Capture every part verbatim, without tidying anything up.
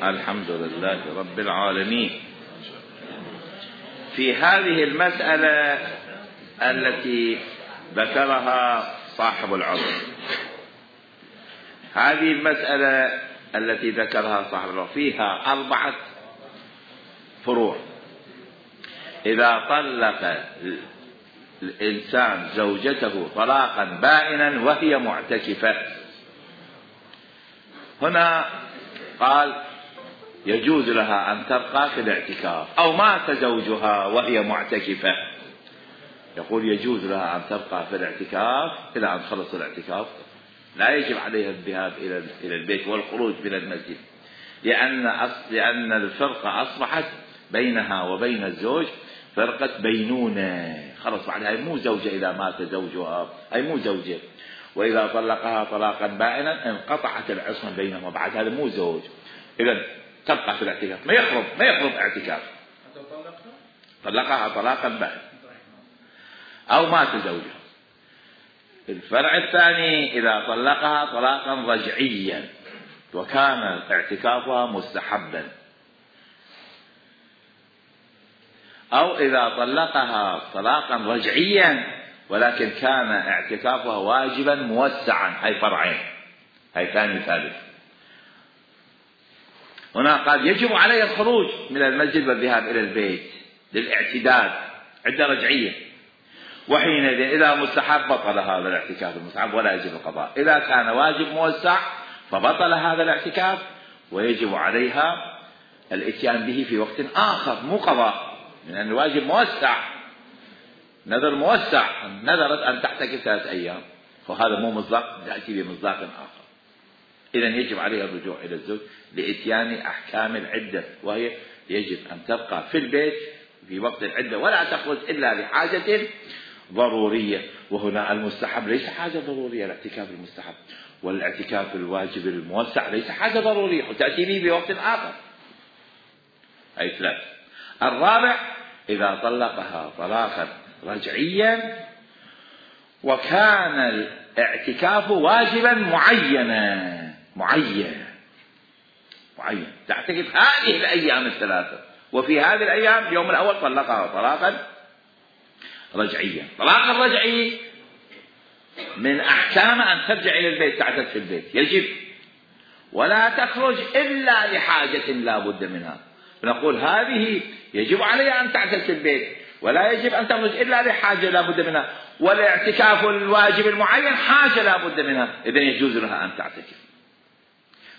الحمد لله رب العالمين. في هذه المسألة التي ذكرها صاحب العروة، هذه المسألة التي ذكرها صاحب العروة فيها أربعة فروع. إذا طلق الإنسان زوجته طلاقا بائنا وهي معتكفة، هنا قال يجوز لها أن تبقى في الاعتكاف، أو مات زوجها وهي معتكفة، يقول يجوز لها أن تبقى في الاعتكاف إلى أن تخلص الاعتكاف، لا يجب عليها الذهاب إلى البيت والخروج من المسجد، لأن لأن الفرقة أصبحت بينها وبين الزوج فرقة بينونة، خلص بعدها هي مو زوجة. إذا مات زوجها هي مو زوجة، وإذا طلقها طلاقا بائنا انقطعت العصمة بينهما، بعد هذا مو زوج، إذا تبقى في الاعتكاف، ما يخرب ما يخرب اعتكاف. طلقها طلاقا بائنا أو مات زوجها. الفرع الثاني إذا طلقها طلاقا رجعيا وكان اعتكافها مستحبا، أو إذا طلقها طلاقا رجعيا ولكن كان اعتكافها واجبا موسعا، هاي فرعين، هاي ثاني ثالث. هنا قال يجب عليه الخروج من المسجد والذهاب إلى البيت للاعتداد عدة رجعية، وحينئذ إذا مستحب بطل هذا الاعتكاف المستحب ولا يجب القضاء. إذا كان واجب موسع فبطل هذا الاعتكاف ويجب عليها الاتيان به في وقت آخر، مو قضاء، لأن الواجب موسع، نذر موسع، نذرت أن تحتكف ثلاث أيام، فهذا مو مصداق، تأتي بمصداق آخر. إذن يجب عليها الرجوع إلى الزوج لإتيان أحكام العدة، وهي يجب أن تبقى في البيت في وقت العدة ولا تخرج إلا لحاجة ضرورية. وهنا المستحب ليس حاجة ضرورية، الاعتكاف المستحب، والاعتكاف الواجب الموسع ليس حاجة ضرورية وتأتي به بوقت آخر. أي ثلاث. الرابع إذا طلقها طلاقا رجعيا وكان الاعتكاف واجبا معينا، معين معين تعتكف هذه الأيام الثلاثة، وفي هذه الأيام اليوم الأول طلقها طلاقا رجعيا. طلاق الرجعي من أحكام أن ترجع إلى البيت، تعتد في البيت، يجب ولا تخرج إلا لحاجة لا بد منها. نقول هذه يجب عليها أن تعتد في البيت ولا يجب أن تخرج إلا لحاجة لا بد منها، والاعتكاف الواجب المعين حاجة لا بد منها، إذن يجوز لها أن تعتكف.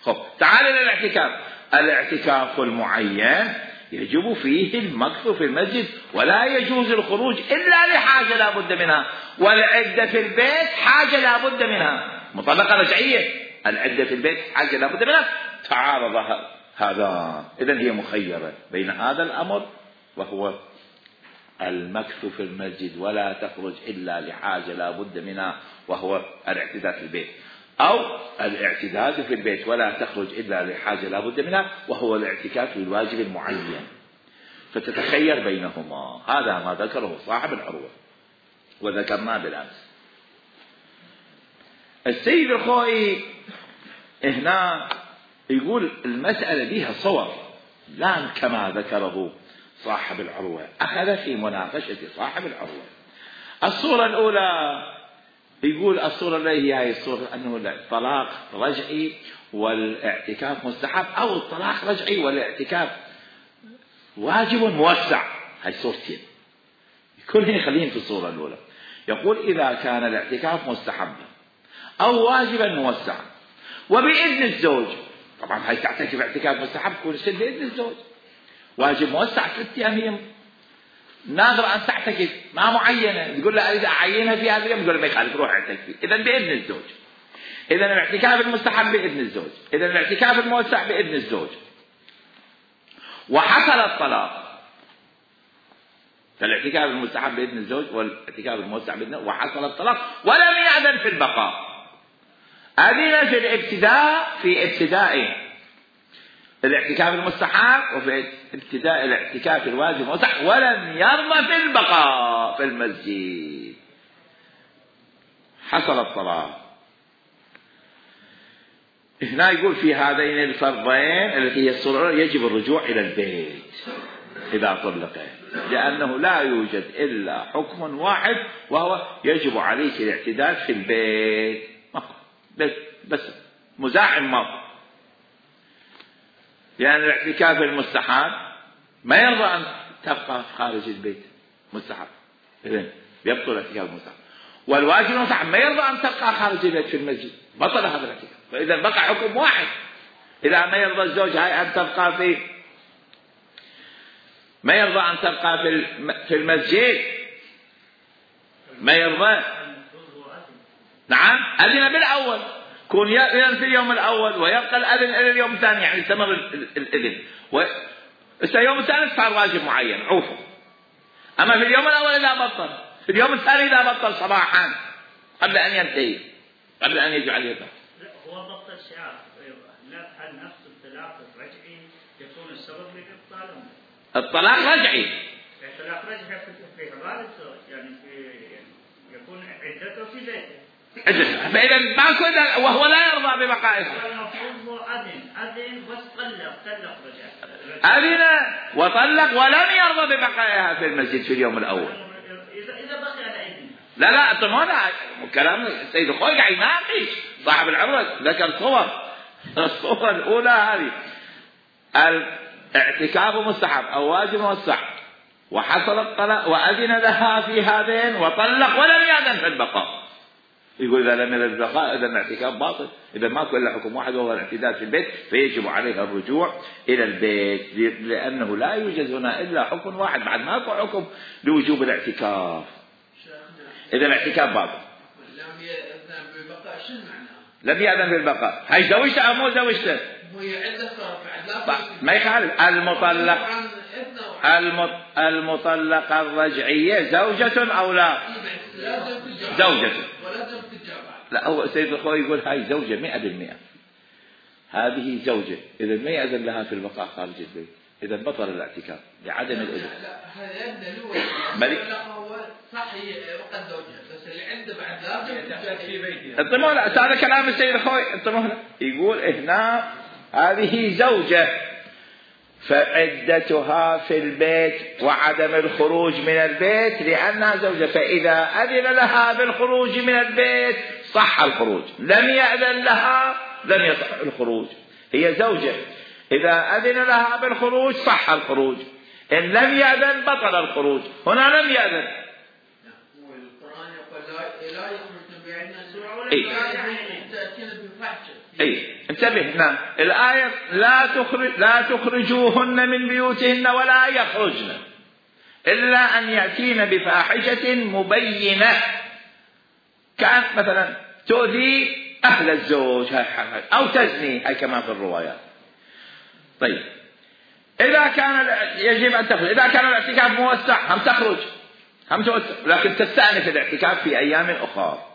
خب تعال إلى الاعتكاف. الاعتكاف المعين يجب فيه المكث في المسجد ولا يجوز الخروج إلا لحاجة لا بد منها، والعدة في البيت حاجة لا بد منها. مطلقة رجعية، العدة في البيت حاجة لا بد منها، تعارض هذا، إذن هي مخيرة بين هذا الأمر وهو المكث في المسجد ولا تخرج إلا لحاجة لا بد منها وهو الاعتداد في البيت، أو الاعتداد في البيت ولا تخرج إلا لحاجة لا بد منها وهو الاعتكاف الواجب المعين، فتتخير بينهما. هذا ما ذكره صاحب العروة وذكرناه بالأمس. السيد الخوئي هنا يقول المسألة بها صور، لا كما ذكره صاحب العروة، أخذ في مناقشة صاحب العروة. الصورة الأولى يقول الصورة اللي هي الصورة أنه الطلاق رجعي والاعتكاف مستحب، أو الطلاق رجعي والاعتكاف واجب موسع، هاي صورتين كلهم خليهم في الصورة الأولى. يقول إذا كان الاعتكاف مستحبا أو واجبا موسعا وبإذن الزوج، طبعا هاي تعتكف اعتكاف مستحب كل شيء بإذن الزوج، واجب موسع ست أيام ناظر أن تعتكف ما معينة، تقول له أريد أعينها في هذا اليوم، يقول له ما يخالف روح اعتكفي، إذن بإذن الزوج. إذن الاعتكاف المستحب بإذن الزوج، إذن الاعتكاف الموسع بإذن الزوج. وحصل الطلاق، فالاعتكاف المستحب بإذن الزوج والاعتكاف الموسع بإذن، وحصل الطلاق ولم يأذن في البقاء، أذن في الابتداء في ابتدائه الاعتكاف المستحب وفي ابتداء الاعتكاف الواجب الموسع، ولم يرضى في البقاء في المسجد. حصل الطلاق، هنا يقول في هذين الفرضين التي هي الصورة يجب الرجوع إلى البيت إذا طلق، لأنه لا يوجد إلا حكم واحد وهو يجب عليك الاعتدال في البيت بس, بس مزاحم ما، لأن الاعتكاف المستحب ما يرضى أن تبقى خارج البيت مستحب، إذن يبطل الاعتكاف المستحب. والواجب المستحب ما يرضى أن تبقى خارج البيت في المسجد، بطل هذا الاعتكاف. فإذا بقى حكم واحد، إذا ما يرضى الزوج هاي أن تبقى في ما يرضى أن تبقى في في المسجد، ما يرضى. نعم أذن بالأول، كون يأذن في اليوم الأول ويبقى الأذن إلى اليوم الثاني، يعني يستمر الأذن. واليوم الثاني صار واجب معين عوفه. أما في اليوم الأول إذا بطل، في اليوم الثاني إذا بطل صباحا قبل أن ينتهي، قبل أن يجعل يده. لا هو بطل شعار، لا هل نفس الطلاق الرجعي يكون السبب لإبطاله؟ الطلاق رجعي. الطلاق رجعي في حبال الزوج، يعني في يكون عدته في بيته. فإذا ماكو وهو لا يرضى ببقائها. المفروض هو أذن أذن بس طلق طلق رجع. أذن وطلق ولم يرضى ببقائها في المسجد في اليوم الأول. إذا إذا بقي على إذن. لا لا أنتم هنا كلام السيد الخوي قاعد يناقش صاحب العروة، ذكر صور. الصورة الأولى هذه الاعتكاف مستحب أو واجب مستحب، وحصل الطلاق وأذن لها في هذين وطلق ولم يأذن في البقاء. يقول إذا لم يأذن في البقاء إذا الاعتكاف باطل، إذا ماكو إلا حكم واحد وهو الاعتدال في البيت، فيجب عليها الرجوع إلى البيت، لأنه لا يوجد هنا إلا حكم واحد، بعد ماكو حكم لوجوب الاعتكاف. إذا الاعتكاف باطل. لم يأذن بالبقاء شو معناه؟ لم يأذن بالبقاء، هاي زوجته أو مو زوجته؟ هي عدة صار بعد لا ما يخالف. المطلق المطلقة الرجعية زوجة أو لا؟ زوجة. لا هو سيد الخوي يقول هاي زوجة مئة بالمئة، هذه زوجة إذا ما يأذن لها في البقاء خارج البيت، إذا بطل الاعتكاف لعدم الإذن. لا هذا يبدأ له هو صحيح وقت زوجها، بس اللي عنده بعد لازم في بيته. انتبهوا لا هذا كلام السيد الخوي، انتبهوا يقول هنا هذه زوجة فعدتها في البيت وعدم الخروج من البيت لأنها زوجة، فإذا أذن لها بالخروج من البيت صح الخروج، لم يأذن لها لم يصح الخروج. هي زوجة إذا أذن لها بالخروج صح الخروج، إن لم يأذن بطل الخروج. هنا لم يأذن. والقرآن يقول لا يخرج بيعنا سوء إيه؟ تأتينا بفحشة. أي انتبه هنا الآية لا تخرج لا تخرجوهن من بيوتهن ولا يخرجن إلا أن يأتين بفاحشة مبينة، كان مثلا تؤذي أهل الزوج أو تزني، هاي كما في الروايات. طيب إذا كان يجب أن تخرج، إذا كان الاعتكاف موسع هم تخرج هم توسع، لكن تستأنف الاعتكاف في أيام أخرى،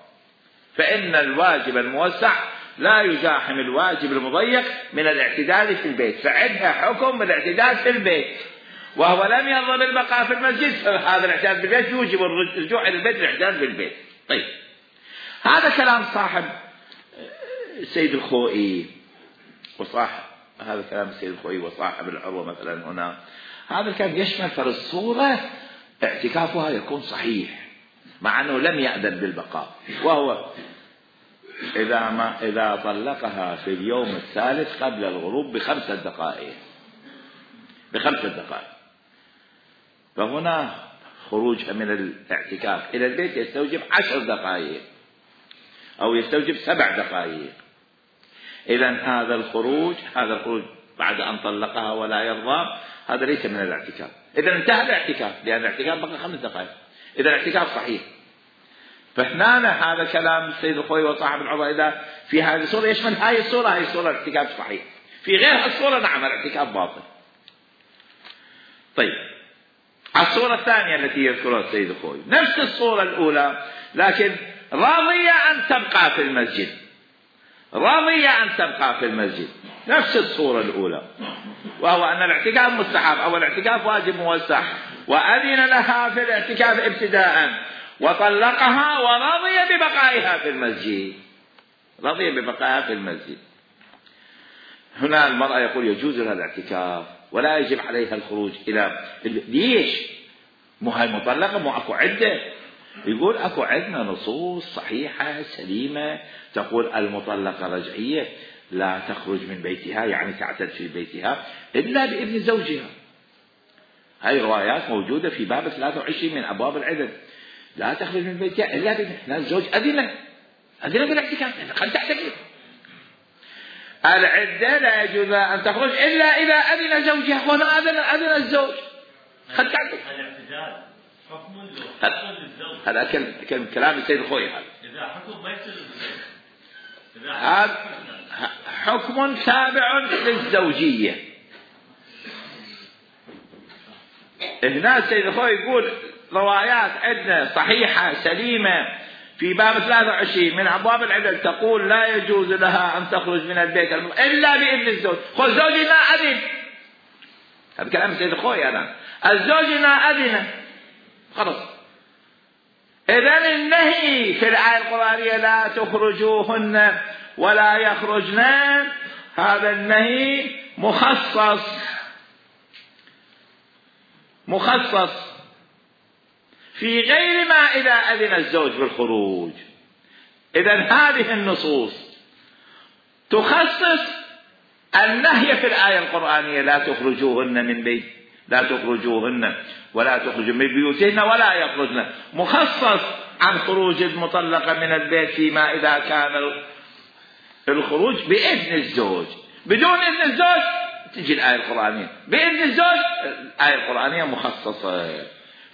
فإن الواجب الموسع لا يزاحم الواجب المضيق من الاعتدال في البيت، فعندها حكم الاعتدال في البيت وهو لم يرضى بالبقاء في المسجد، فهذا الاعتدال في البيت يوجب الرجوع إلى البيت الاعتدال في البيت. طيب هذا كلام صاحب السيد الخوئي وصاحب هذا كلام السيد الخوئي وصاحب العروة مثلا هنا، هذا كان يشمل فالصورة اعتكافها يكون صحيح مع أنه لم يأذن بالبقاء، وهو إذا ما إذا طلقها في اليوم الثالث قبل الغروب بخمسة دقائق بخمسة دقائق فهنا خروجها من الاعتكاف إلى البيت يستوجب عشر دقائق أو يستوجب سبع دقائق. إذن هذا الخروج هذا الخروج بعد أن طلقها ولا يرضى هذا ليس من الاعتكاف. إذا انتهى الاعتكاف لأن الاعتكاف بقى خمس دقائق، إذا الاعتكاف صحيح. فهنا هذا كلام السيد الخوي وصاحب العروة إذا في هذه الصورة يشمل هاي الصورة، هاي الصورة الاعتكاف صحيح، في غير الصورة نعم الاعتكاف باطل. طيب الصورة الثانية التي يذكرها السيد الخوي نفس الصورة الأولى لكن راضية أن تبقى في المسجد، راضية أن تبقى في المسجد نفس الصورة الأولى، وهو أن الاعتكاف مستحب أو الاعتكاف واجب موسع، وأذن لها في الاعتكاف ابتداء وطلقها ورضي ببقائها في المسجد، رضي ببقائها في المسجد. هنا المرأة يقول يجوز لها الاعتكاف ولا يجب عليها الخروج إلى ليش؟ مو هاي مطلقة، مو أكو عدة. يقول أكو عندنا نصوص صحيحة سليمة تقول المطلقة رجعية لا تخرج من بيتها، يعني تعتد في بيتها إلا بإذن زوجها. هاي روايات موجودة في باب ثلاثة وعشرين من أبواب العدد. لا تخرج من بيتها إلا بإذن الزوج. أذن أذن بالاعتكاف، خل تعتكف. العدة لا يجوز أن تخرج إلا إذا أذن زوجها، وهنا أذن أذن الزوج. خل تعتكف. الاعتدال حكم للزوج. هذا كلام كلام السيد الخوي. هذا إذا حكم ما يصير للزوج. هذا حكم تابع للزوجية. هنا السيد الخوي يقول روايات عندنا صحيحة سليمة في باب ثلاثة وعشرين من أبواب العدل تقول لا يجوز لها أن تخرج من البيت إلا بإذن الزوج. خذ زوجي ما أذن. هذا كلام السيد الخوي. أنا الزوج ما أذن خلص. إذن النهي في الآية القرآنية لا تخرجوهن ولا يخرجن، هذا النهي مخصص مخصص في غير ما إذا أذن الزوج بالخروج. إذن هذه النصوص تخصص النهي في الآية القرآنية لا تخرجوهن من بيت لا تخرجوهن ولا تخرجوا من بيوتهن ولا يخرجن، مخصص عن خروج المطلقة من البيت فيما إذا كان الخروج بإذن الزوج. بدون إذن الزوج تجي الآية القرآنية، بإذن الزوج الآية القرآنية مخصصة.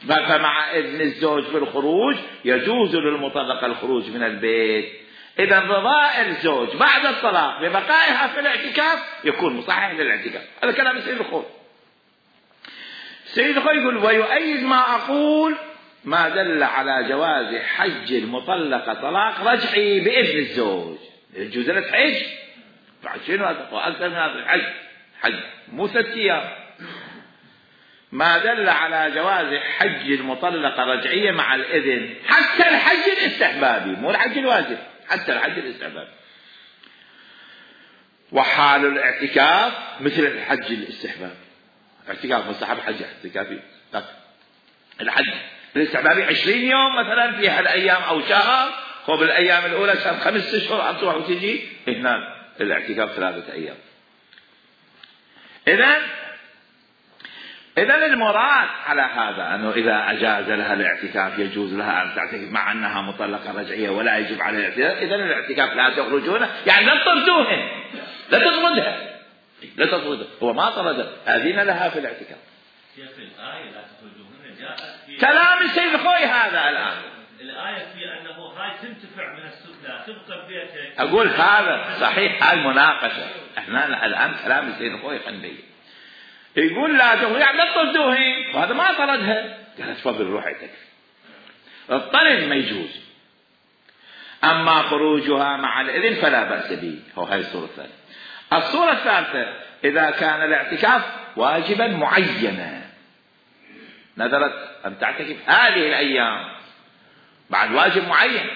فمع إذن الزوج في الخروج يجوز للمطلقة الخروج من البيت. إذا رضاء الزوج بعد الطلاق ببقائها في الاعتكاف يكون مصحح للاعتكاف. هذا كلام السيد الخوي. السيد الخوي يقول ويؤيد ما أقول ما دل على جواز حج المطلقة طلاق رجعي بإذن الزوج. يجوز لها حج بعد شنو أكثر من هذا الحج حج مو ست أيام. ما دل على جواز حج المطلقة رجعية مع الإذن حتى الحج الاستحبابي، مو الحج الواجب، حتى الحج الاستحبابي. وحال الاعتكاف مثل الحج الاستحبابي. اعتكاف مستحب، حج اعتكافي. الحج الاستحبابي عشرين يوم مثلا في هالأيام أو شهر، قبل الأيام الأولى شهر خمس أشهر تروح وتجي. هنا الاعتكاف ثلاثة أيام. إذن إذن المراد على هذا أنه إذا أجاز لها الاعتكاف يجوز لها أن تعتكف مع أنها مطلقة رجعية ولا يجب عليها الاعتكاف. إذن الاعتكاف لا تخرجون، يعني لا تطردوهن، لا تطردها، لا تطردها. هو ما طردها، أذن لها في الاعتكاف. كيف الآية لا تخرجوهن جاءت في كلام السيد الخوي هذا الآن. الآية في أنه هاي تنتفع من السفلى تبقى ببيتك. أقول هذا صحيح، هاي المناقشة. إحنا الآن كلام السيد الخوي خليه يقول لا تخرج، يعني لا تطردوهن، وهذا ما طردها. قالت تفضل روحي تكفي. الطرد ما يجوز، أما خروجها مع الإذن فلا بأس به. هو هاي الصورة الثانية. الصورة الثالثة إذا كان الاعتكاف واجبا معينا، نذرت أن تعتكف هذه الأيام بعد واجب معين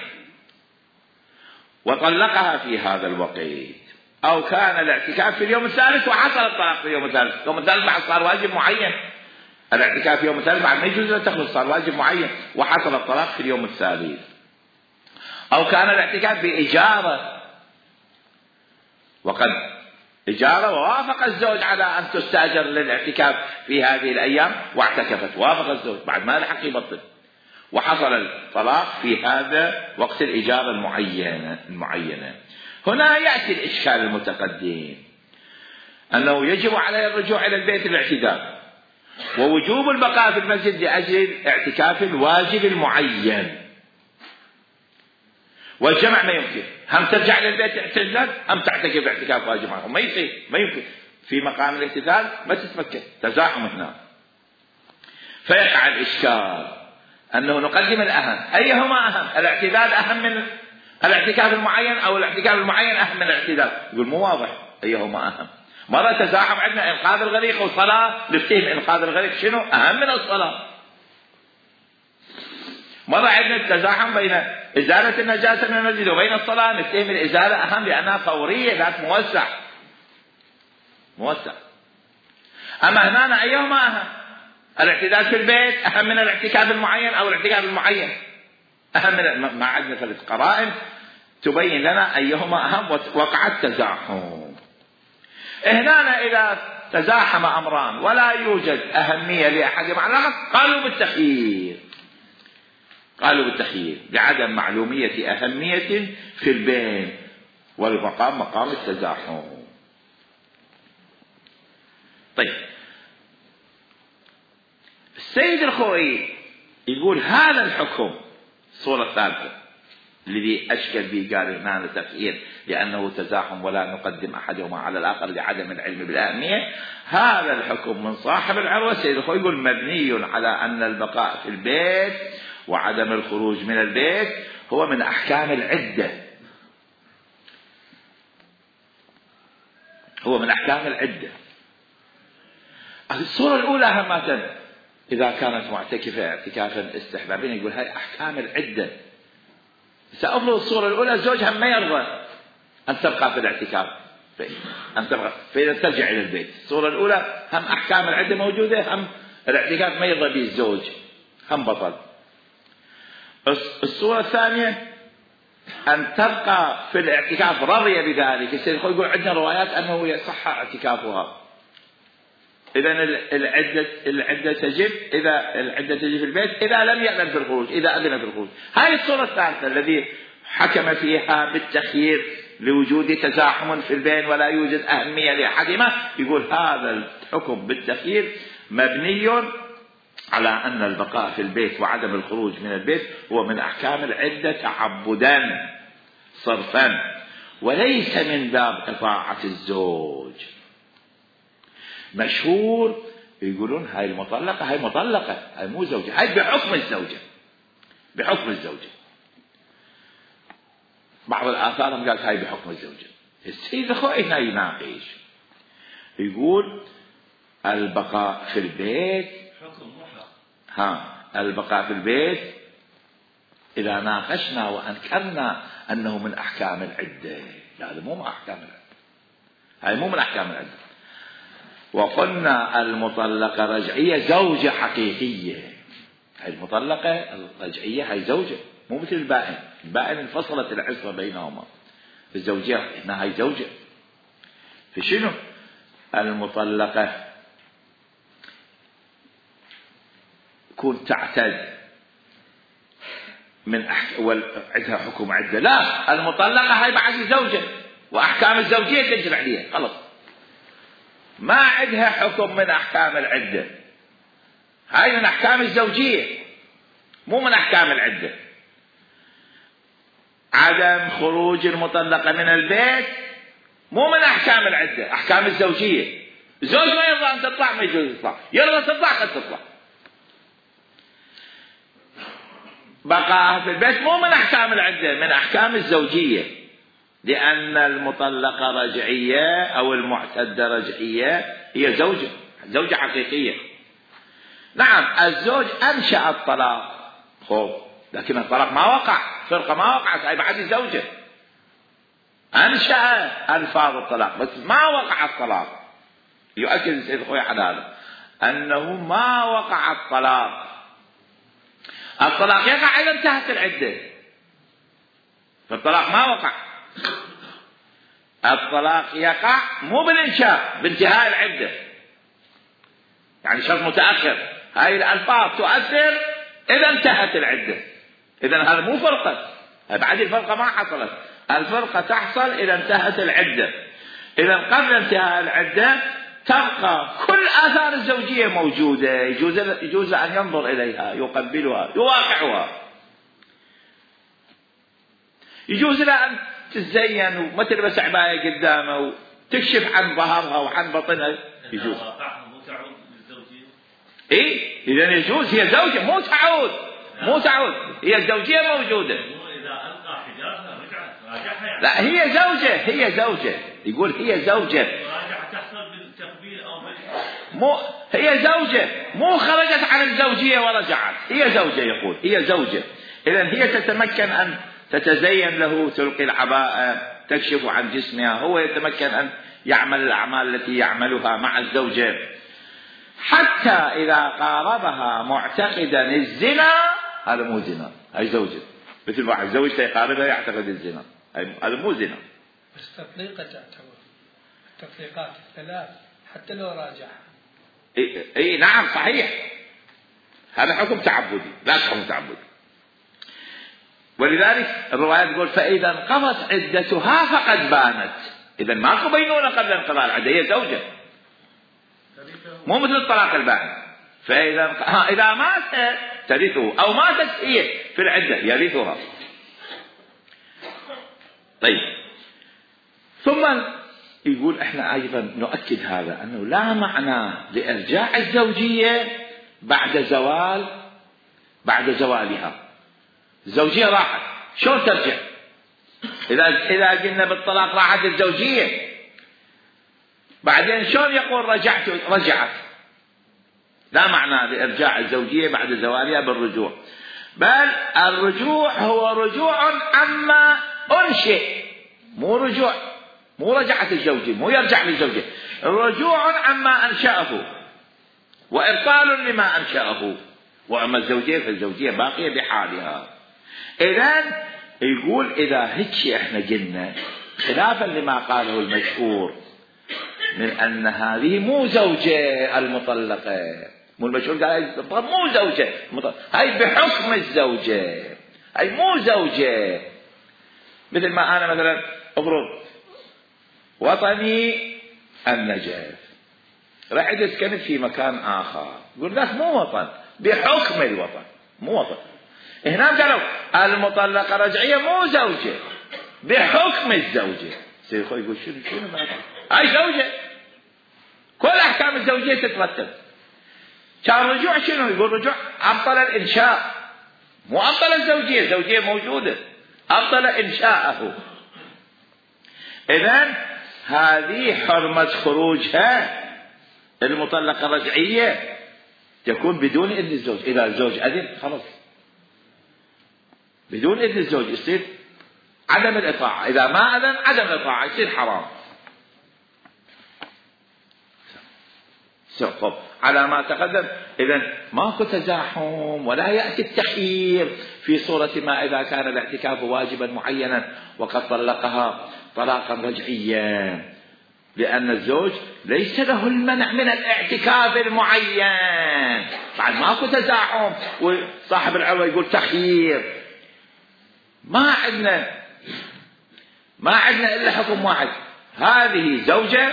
وطلقها في هذا الوقت، أو كان الاعتكاف في اليوم الثالث وحصل الطلاق في اليوم الثالث، اليوم الثالث بعد صار واجب معين. الاعتكاف في اليوم الثالث بعد ما يجوز أن تخلص، صار واجب معين وحصل الطلاق في اليوم الثالث. أو كان الاعتكاف بإجارة، وقد إجارة ووافق الزوج على أن تستأجر للاعتكاف في هذه الأيام واعتكفت، وافق الزوج بعد ما لحق يبطل، وحصل الطلاق في هذا وقت الإجارة المعينة المعينة. هنا يأتي الإشكال المتقدم أنه يجب عليه الرجوع إلى البيت الاعتداء، ووجوب البقاء في المسجد لأجل اعتكاف الواجب المعين، والجمع ما يمكن. هم ترجع للبيت اعتدال هم تعتكف اعتكاف واجب معهم، ما يصير، ما يمكن. في مقام الاعتدال ما تتمكن، تزاحم هنا. فيقع الإشكال أنه نقدم الأهم. أيهما أهم؟ الاعتدال أهم من الاعتكاف المعين أو الاعتكاف المعين أهم من الاعتدال؟ يقول مو واضح أيهما أهم. مرة تزاحم عندنا إنقاذ الغريق والصلاة، نفتهم إنقاذ الغريق شنو أهم من الصلاة. مرة عندنا التزاحم بين إزالة النجاسة من المسجد وبين الصلاة، نفتهم الإزالة أهم لأنها فورية ذات موسع. موسع. أما هنا أيهما أهم؟ الاعتداد في البيت أهم من الاعتكاف المعين أو الاعتكاف المعين أهم من ما عندنا ثلاث قرائن تبين لنا أيهما أهم وقع التزاحم. هنا إذا تزاحم أمران ولا يوجد أهمية لأحدهما على الآخر قالوا بالتخيير، قالوا بالتخيير لعدم معلومية أهمية في البين والمقام مقام التزاحم. طيب السيد الخوئي يقول هذا الحكم الصورة الثالثة الذي أشكل به قال هنا تخيير لأنه تزاحم ولا نقدم أحدهما على الآخر لعدم العلم بالأهمية. هذا الحكم من صاحب العروة السيد الخوئي يقول مبني على أن البقاء في البيت وعدم الخروج من البيت هو من أحكام العدة، هو من أحكام العدة. الصورة الأولى همة إذا كانت معتكفة اعتكافا استحبابيا يقول هاي أحكام العدة. سأفرض الصورة الأولى زوجها ما يرضى أن تبقى في الاعتكاف أن تبقى فإذا ترجع إلى البيت. الصورة الأولى هم أحكام العدة موجودة، هم الاعتكاف ما يرضى به الزوج هم بطل. الصورة الثانية أن تبقى في الاعتكاف رضي بذلك. السيد الخوئي يقول عندنا روايات أنه يصح اعتكافها. إذا العدة العدة تجب إذا العدة تجب في البيت إذا لم يأذن في الخروج، إذا أذن في الخروج. هذه الصورة الثالثة الذي حكم فيها بالتخيير لوجود تزاحم في البين ولا يوجد أهمية لأحدهما يقول هذا الحكم بالتخيير مبني على أن البقاء في البيت وعدم الخروج من البيت هو من أحكام العدة تعبدا صرفا وليس من باب إطاعة الزوج. مشهور يقولون هاي المطلقة هاي مطلقة هاي مو زوجة، هاي بحكم الزوجة بحكم الزوجة. بعض الآثار قالت هاي بحكم الزوجة. السيد الخوئي هنا يناقش يقول البقاء في البيت ها البقاء في البيت إذا ناقشنا وأنكرنا أنه من أحكام العدة، لا هذا مو من أحكام العدة، هاي مو من أحكام العدة. وقلنا المطلقة رجعية زوجة حقيقية، هاي المطلقة الرجعية هاي زوجة مو مثل البائن. البائن انفصلت العصمة بينهما، الزوجية هنا هاي زوجة. فشنو المطلقة كون تعتد من أحك... وعندها حكم عدة؟ لا، المطلقة هاي بعد زوجة وأحكام الزوجية تنزل عليها خلص، ما عندها حكم من أحكام العدة. هاي من أحكام الزوجية مو من أحكام العدة. عدم خروج المطلقة من البيت مو من أحكام العدة، أحكام الزوجية. زوج ما يرضى أن تطلع ما يجوز تطلع، يرضى تطلع قد تطلع. بقاها في البيت مو من أحكام العدة، من أحكام الزوجية، لأن المطلقة رجعية أو المعتدة رجعية هي زوجة زوجة حقيقية. نعم الزوج أنشأ الطلاق خوف، لكن الطلاق ما وقع، فرقة ما وقعت، هاي بعد زوجة أنشأ ألفاظ الطلاق بس ما وقع الطلاق. يؤكد السيد الخوئي على هذا أنه ما وقع الطلاق. الطلاق يقع إذا انتهت العدة، فالطلاق ما وقع. الطلاق يقع مو بالإنشاء، بانتهاء العدة، يعني شرط متأخر. هاي الألفاظ تؤثر إذا انتهت العدة. إذن هذا مو فرقة، بعد الفرقة ما حصلت، الفرقة تحصل إذا انتهت العدة. إذا قبل انتهاء العدة تبقى كل آثار الزوجية موجودة، يجوز يجوز أن ينظر إليها، يقبلها، يواقعها، يجوز لها أن تتزين وما تلبس عباية قدامه وتكشف عن ظهرها وعن بطنها، يجوز. إيه إذا يجوز، هي زوجة مو تعود مو تعود هي الزوجية موجودة. لا هي زوجة هي زوجة يقول هي زوجة مو هي زوجة مو خرجت عن الزوجية ورجعت، هي زوجة يقول هي زوجة. إذن هي تتمكن أن تتزين له، تلقي العباءة، تكشف عن جسمها، هو يتمكن أن يعمل الأعمال التي يعملها مع الزوجة، حتى إذا قاربها معتقدا الزنا، هذا مو زنا، هاي زوجة، مثل واحد زوجته يقاربها يعتقد الزنا، هذا مو زنا. بس تطليقة تعتبر التطليقات الثلاث حتى لو راجعها. اي اي نعم صحيح، هذا حكم تعبدي لا حكم تعبدي. ولذلك الروايات تقول فإذا انقضت عدتها فقد بانت، إذا ماكو بينونة قبل انقضاء العدة، هي زوجة مو مثل الطلاق البائن. فإذا ها إذا مات ترثه أو ماتت هي في العدة يرثها. طيب ثم يقول احنا ايضا نؤكد هذا انه لا معنى لارجاع الزوجيه بعد زوال بعد زوالها. الزوجيه راحت شلون ترجع؟ اذا اذا قلنا بالطلاق راحت الزوجيه بعدين شلون يقول رجعت رجعت؟ لا معنى لارجاع الزوجيه بعد زوالها بالرجوع، بل الرجوع هو رجوع عما انشئ، مو رجوع مو رجعت الزوجة، مو يرجع للزوجة، رجوع عما أنشأه وإبطال لما أنشأه. وأما الزوجية فالزوجية باقية بحالها. إذن يقول إذا هيك احنا قلنا خلافا لما قاله المشهور من أن هذه مو زوجة المطلقة، مو المشهور قال مو زوجة مطلقة، هاي بحكم الزوجة، هاي مو زوجة. مثل ما أنا مثلا أفرض وطني النجف، رحت اسكنت في مكان آخر، يقول لك مو وطن بحكم الوطن، مو وطن. هنا قالوا المطلقة رجعية مو زوجة بحكم الزوجة. سيد خوي يقول شنو شنو ما هاي زوجة، كل أحكام الزوجية تترتب. كان رجوع شنو؟ يقول رجوع أبطل الإنشاء، مو أبطل الزوجية، الزوجية موجودة، أبطل إنشاءه. إذن هذه حرمة خروجها المطلقة الرجعية تكون بدون إذن الزوج. إذا الزوج أذن خلاص، بدون إذن الزوج يصير عدم الإطاعة، إذا ما أذن عدم الإطاعة يصير حرام. طب على ما تقدم إذن ماكو تزاحم ولا يأتي التخيير في صورة ما إذا كان الاعتكاف واجبا معينا وقد طلقها طلاقا رجعيا، لأن الزوج ليس له المنع من الاعتكاف المعين، بعد ماكو تزاحم وصاحب العروة يقول تخيير. ما عندنا ما عندنا إلا حكم واحد، هذه زوجة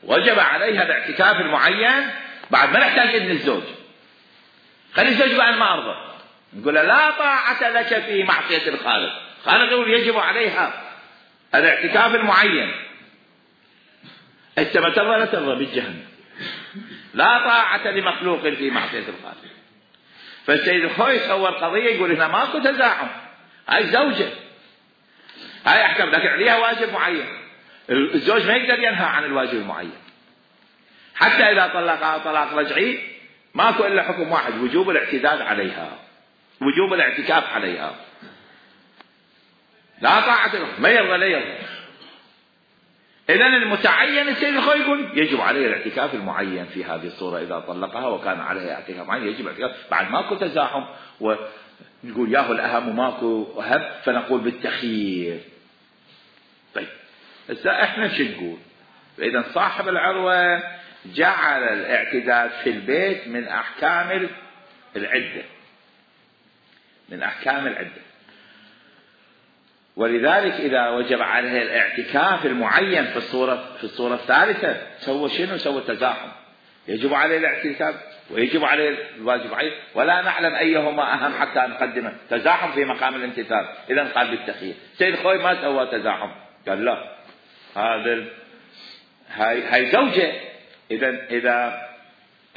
وجب عليها الاعتكاف المعين، بعد ما نحتاج إذن الزوج. خلي الزوج بعد ما أرضى نقول لا طاعة لك في معصية الخالق، خالق يقول يجب عليها الاعتكاف المعين، انت ما ترضى لا ترضى بالجهنم، لا طاعة لمخلوق في معصية الخالق. فالسيد الخوي صور قضية يقول هنا ماكو تزاحم، هاي زوجة هاي احكام لكن عليها واجب معين، الزوج ما يقدر ينهى عن الواجب المعين. حتى إذا طلقها طلاق رجعي ماكو إلا حكم واحد، وجوب الاعتداد عليها، وجوب الاعتكاف عليها، لا طاعة له، ما يرضى لا يرضى. إذن المتعين السيد الخوي يقول يجب عليه الاعتكاف المعين في هذه الصورة، إذا طلقها وكان عليها اعتكاف معين يجب الاعتكاف، بعد ماكو تزاحم ونقول ياهو الأهم وماكو أهم فنقول بالتخيير. طيب هسه احنا شو نقول؟ إذا صاحب العروة جعل الاعتداد في البيت من أحكام العدة، من أحكام العدة، ولذلك إذا وجب عليه الاعتكاف المعين في الصورة في الصورة الثالثة سوى شنو؟ سوى تزاحم، يجب عليه الاعتكاف ويجب عليه الواجب عليه، ولا نعلم أيهما أهم حتى نقدمه، تزاحم في مقام الامتثال. إذا قال بالتخيير. سيد خوي ما سوى تزاحم، قال لا هذا هاي هاي زوجة، إذا إذا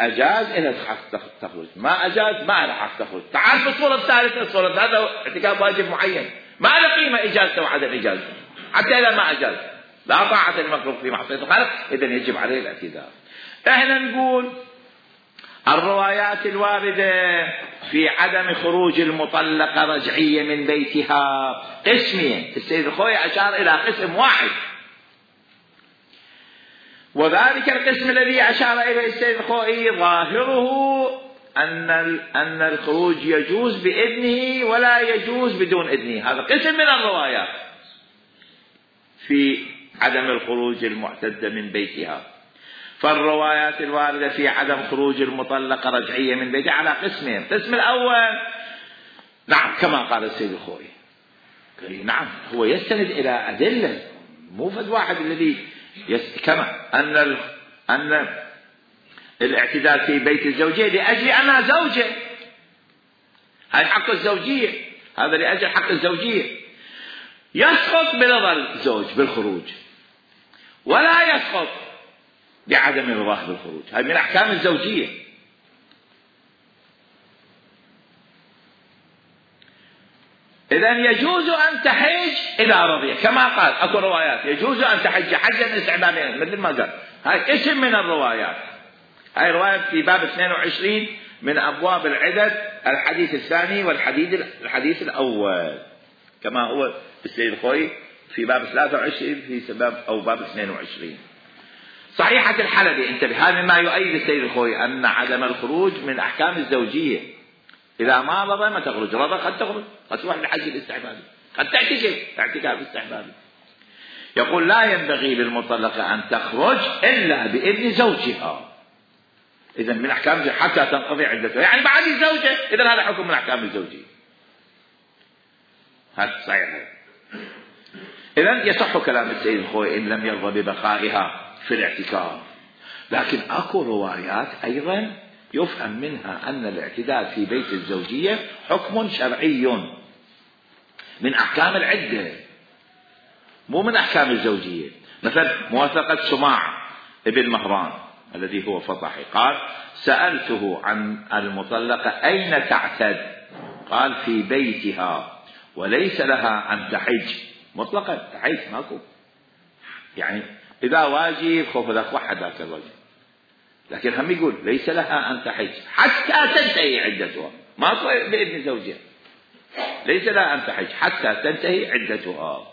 أجاز إذا حق تخرج، ما أجاز ما له حق تخرج. تعال في الصورة الثالثة، الصورة هذا اعتكاف واجب معين ما له قيمة إجازته وعدم إجازته، حتى إذا ما أجاز لا طاعة المخلوق في معصية الخالق، إذا يجب عليه الاعتداء. إحنا نقول الروايات الواردة في عدم خروج المطلقة رجعية من بيتها قسمين. السيد الخوئي أشار إلى قسم واحد، وذلك القسم الذي أشار إليه السيد الخوئي ظاهره أن أن الخروج يجوز بإذنه ولا يجوز بدون إذنه. هذا قسم من الروايات في عدم الخروج المعتدة من بيتها. فالروايات الواردة في عدم خروج المطلقة رجعية من بيتها على قسمين. القسم الأول نعم كما قال السيد الخوئي، نعم هو يستند إلى أدلة، مو فد واحد الذي يست... كما أن ال... أن الاعتدال في بيت الزوجية لأجل أنها زوجة، هذا حق الزوجية، هذا لأجل حق الزوجية، يسقط برضا الزوج بالخروج ولا يسقط بعدم رضاه بالخروج. هذه من أحكام الزوجية. إذن يجوز أن تحج إذا رضي، كما قال أكو روايات يجوز أن تحج حجا استعبابيا مثل ما قال، هاي اسم من الروايات. هاي رواية في باب اثنين وعشرين من أبواب العدد، الحديث الثاني والحديث الحديث الأول، كما هو السيد الخوئي في باب ثلاثة وعشرين في سبب أو باب اثنين وعشرين. صحيحة الحلبي انتبه، هذا ما يؤيد السيد الخوئي أن عدم الخروج من أحكام الزوجية. إذا ما رضى ما تخرج، رضى قد تخرج، قد تروح للحج الاستحبابي، قد تعتكف اعتكاف استحبابي. يقول لا ينبغي للمطلقة أن تخرج إلا بإذن زوجها. إذا من أحكام الزوجية حتى تنقضي عدتها، يعني بعد الزوجة، إذا هذا حكم من أحكام الزوجية. هذا صحيح. إذا يصح كلام السيد الخوئي إن لم يرضى ببقائها في الاعتكاف. لكن أكو روايات أيضا يفهم منها أن الاعتداد في بيت الزوجية حكم شرعي من أحكام العدة، مو من أحكام الزوجية. مثلا موافقة سماع ابن مهران الذي هو فطحي، قال سألته عن المطلقة أين تعتد، قال في بيتها وليس لها أن تحج مطلقا. تحج ماكو، يعني إذا واجب خوف ذاك وحد ذاك الواجب، لكن هم يقول ليس لها أن تحج حتى تنتهي عدتها، ماكو بإذن زوجها، ليس لها أن تحج حتى تنتهي عدتها.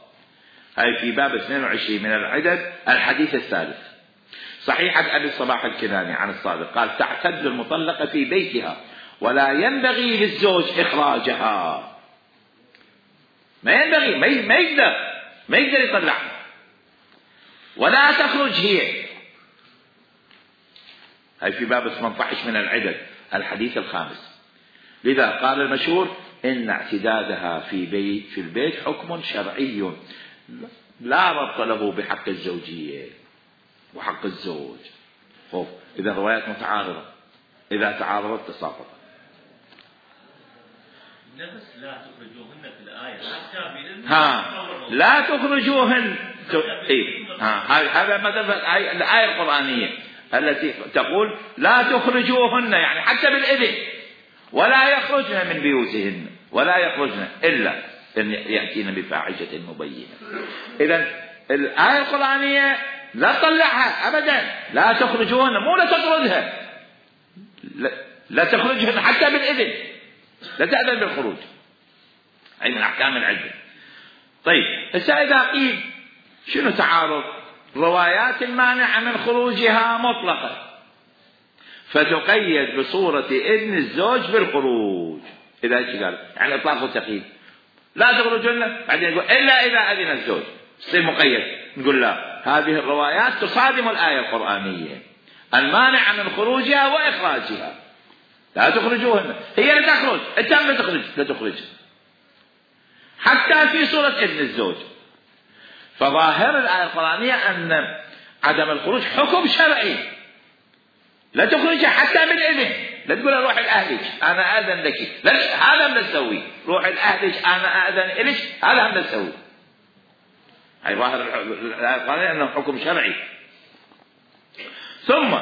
هاي في باب اثنين وعشرين من العدد الحديث الثالث. صحيحة أبي الصباح الكناني عن الصادق قال تعتد المطلقة في بيتها ولا ينبغي للزوج إخراجها. ما ينبغي، ما يقدر ما يقدر يطلعها ولا تخرج هي. هاي في باب ثمانية عشر من العدد الحديث الخامس. لذا قال المشهور إن اعتدادها في بيت في البيت حكم شرعي لا ربط له بحق الزوجية وحق الزوج. خوف إذا الروايات متعارضة، إذا تعارضت تساقط. نفس لا تخرجوهن في الآية حتى بإذن ها لا تخرجوهن إيه ها هذا مثلا الآية القرآنية التي تقول لا تخرجوهن، يعني حتى بالإذن، ولا يخرجن من بيوتهن، ولا يخرجن إلا أن يأتين بفاحشة مبينة. إذن الآية القرآنية لا تطلعها أبدا، لا تخرجوهن، مو لا تطردها، لا, لا تخرجهن حتى بالإذن، لا تأذن بالخروج. أي من أحكام العدة. طيب هسه إذا قيل شنو تعارض؟ روايات المانعة من خروجها مطلقة فتقيد بصورة إذن الزوج بالخروج. إذا إيش قال؟ يعني إطلاق وتقييد، لا تخرجن بعدين يقول إلا إذا أذن الزوج، يصير مقيد. نقول لا، هذه الروايات تصادم الآية القرآنية المانعة من خروجها وإخراجها. لا تخرجوهن، هي لا تخرج، أنت لا تخرج، لا تخرج حتى في صورة إذن الزوج. فظاهر الآية القرآنية أن عدم الخروج حكم شرعي، لا تخرج حتى بالإذن. لا تقول روح لأهلك أنا أذن لك، لا، هذا ما نسوي. روح لأهلك أنا أذن لك، هذا ما نسوي. هاي ظاهر الآية القرآنية أنه حكم شرعي. ثم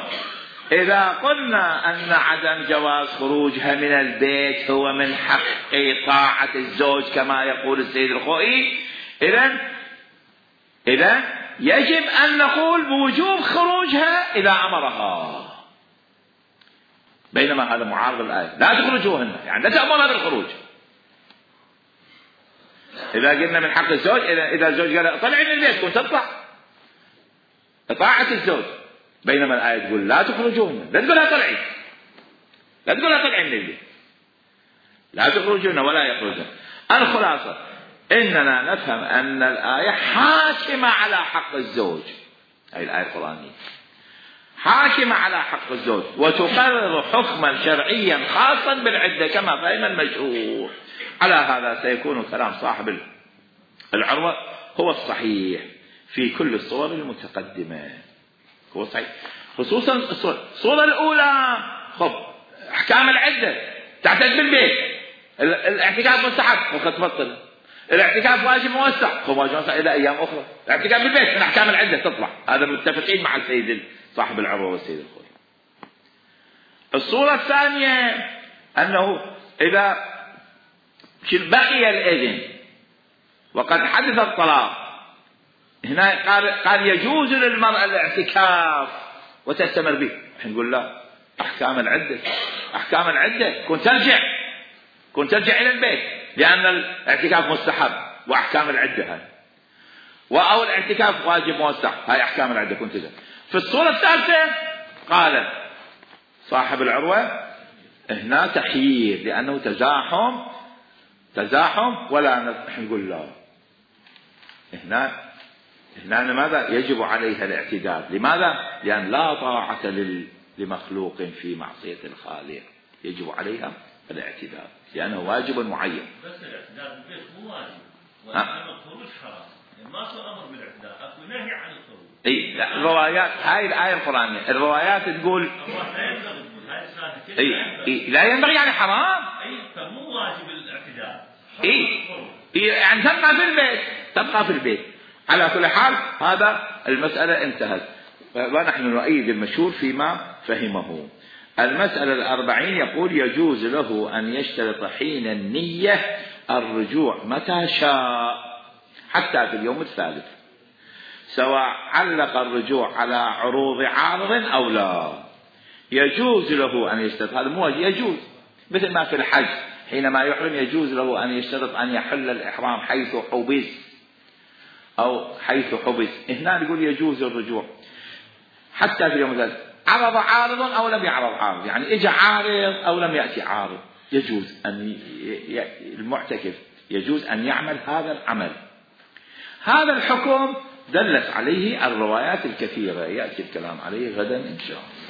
إذا قلنا أن عدم جواز خروجها من البيت هو من حق طاعة الزوج كما يقول السيد الخوئي، إذن إذن يجب أن نقول بوجوب خروجها إذا أمرها. بينما هذا معارض الآية. لا تخرجوهن يعني لا تأمرها بالخروج. إذا قلنا من حق الزوج، إذا الزوج قال طلعي من البيت كنت تطلع، إطاعة الزوج. بينما الآية تقول لا تخرجوهن، لا تقولها طلعي، لا تقولها طلعي من البيت، لا تخرجون ولا يخرجون. الخلاصة إننا نفهم أن الآية حاكمة على حق الزوج، هذه الآية القرآنية حاكمة على حق الزوج، وتقرر حكما شرعيا خاصا بالعدة كما فهم المشهور. على هذا سيكون كلام صاحب العروة هو الصحيح في كل الصور المتقدمة، هو صحيح خصوصا الصورة الأولى. خب أحكام العدة تعتد بالبيت، الاعتكاف مستحب وقد تبطل، الاعتكاف واجب موسع خب واجب موسع إلى أيام أخرى، الاعتكاف بالبيت من أحكام العدة تطلع. هذا متفقين مع السيد صاحب العروة والسيد الخوي. الصورة الثانية أنه إذا بقي الإذن وقد حدث الطلاق، هنا قال, قال يجوز للمرأة الاعتكاف وتستمر به. نقول لا، أحكام العدة أحكام العدة كنت ترجع كنت ترجع إلى البيت، لأن الاعتكاف مستحب وأحكام العدة هاي، أو الاعتكاف واجب موسع، هاي أحكام العدة كنت ترجع. في الصورة الثالثة قال صاحب العروة هنا تخيير، لأنه تزاحم تزاحم ولا نقول لا. هنا هنا لماذا يجب عليها الاعتداد؟ لماذا؟ لأن لا طاعة لمخلوق في معصية الخالق، يجب عليها الاعتداد لأنه واجب معين. بس الاعتداد بالبيت مو واجب، وأما الخروج حرام، ما صار أمر بالاعتداد، أكو نهي عن الخروج. إيه لا، الروايات هاي الآية القرآنية الروايات تقول إيه إيه لا ينبغي يعني حرام. إيه فمو واجب الاعتداد. إيه إيه يعني تبقى في البيت تبقى في البيت. على كل حال هذا المسألة انتهت، ونحن نؤيد المشهور فيما فهمه. المسألة الأربعين يقول يجوز له أن يشترط حين النية الرجوع متى شاء حتى في اليوم الثالث، سواء علق الرجوع على عروض عارض أو لا. يجوز له أن يشترط، هذا مو يجوز، مثل ما في الحج حينما يحرم يجوز له أن يشترط أن يحل الإحرام حيث حبس أو حيث حبس. هنا يقول يجوز الرجوع حتى في اليوم الثالث، عرض عارض أو لم يعرض عارض، يعني إجا عارض أو لم يأتي عارض، يجوز أن المعتكف يجوز أن يعمل هذا العمل. هذا الحكم دلت عليه الروايات الكثيرة، يأتي الكلام عليه غدا إن شاء الله.